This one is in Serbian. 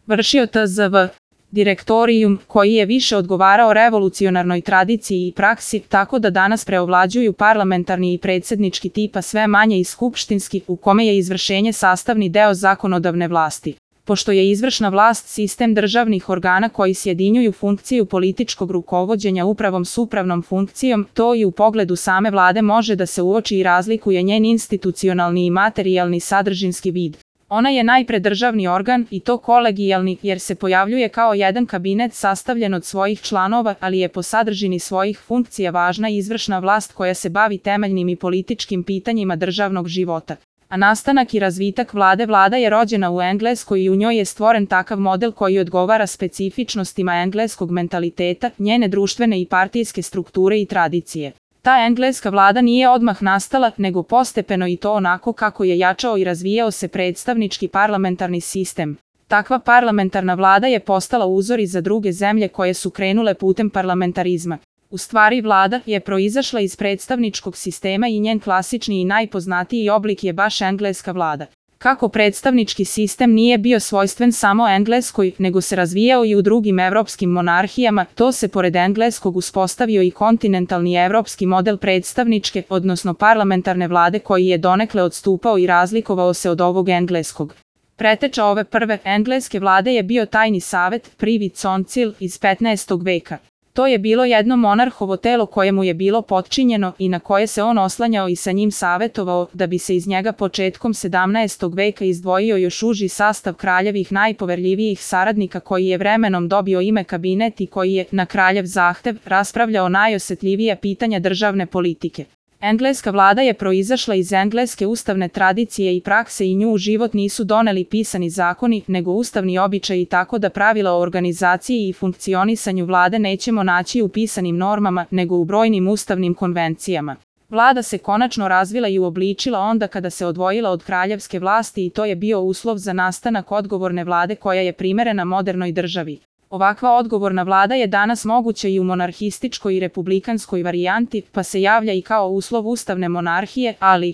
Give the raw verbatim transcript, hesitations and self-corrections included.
vršio T Z V direktorijum, koji je više odgovarao revolucionarnoj tradiciji i praksi, tako da danas preovlađuju parlamentarni i predsjednički tipa sve manje i skupštinski, u kome je izvršenje sastavni deo zakonodavne vlasti. Pošto je izvršna vlast sistem državnih organa koji sjedinjuju funkciju političkog rukovođenja upravom s upravnom funkcijom, to i u pogledu same vlade može da se uoči i razlikuje njen institucionalni i materijalni sadržinski vid. Ona je najpre državni organ, i to kolegijalni, jer se pojavljuje kao jedan kabinet sastavljen od svojih članova, ali je po sadržini svojih funkcija važna izvršna vlast koja se bavi temeljnim i političkim pitanjima državnog života. A nastanak i razvitak vlade Vlada je rođena u Engleskoj i u njoj je stvoren takav model koji odgovara specifičnostima engleskog mentaliteta, njene društvene i partijske strukture i tradicije. Ta engleska vlada nije odmah nastala, nego postepeno i to onako kako je jačao i razvijao se predstavnički parlamentarni sistem. Takva parlamentarna vlada je postala uzor i za druge zemlje koje su krenule putem parlamentarizma. U stvari vlada je proizašla iz predstavničkog sistema i njen klasični i najpoznatiji oblik je baš engleska vlada. Kako predstavnički sistem nije bio svojstven samo Engleskoj, nego se razvijao i u drugim evropskim monarhijama, to se pored engleskog uspostavio i kontinentalni evropski model predstavničke, odnosno parlamentarne vlade koji je donekle odstupao i razlikovao se od ovog engleskog. Preteča ove prve engleske vlade je bio tajni savet, Privy Council, iz petnaestog veka. To je bilo jedno monarhovo telo kojemu je bilo potčinjeno i na koje se on oslanjao i sa njim savetovao, da bi se iz njega početkom sedamnaestog veka izdvojio još uži sastav kraljevih najpoverljivijih saradnika koji je vremenom dobio ime kabinet i koji je, na kraljev zahtev, raspravljao najosjetljivija pitanja državne politike. Engleska vlada je proizašla iz engleske ustavne tradicije i prakse i nju u život nisu doneli pisani zakoni, nego ustavni običaji, tako da pravila o organizaciji i funkcionisanju vlade nećemo naći u pisanim normama, nego u brojnim ustavnim konvencijama. Vlada se konačno razvila i uobličila onda kada se odvojila od kraljevske vlasti i to je bio uslov za nastanak odgovorne vlade koja je primerena modernoj državi. Ovakva odgovorna vlada je danas moguća i u monarhističkoj i republikanskoj varijanti, pa se javlja i kao uslov ustavne monarhije, ali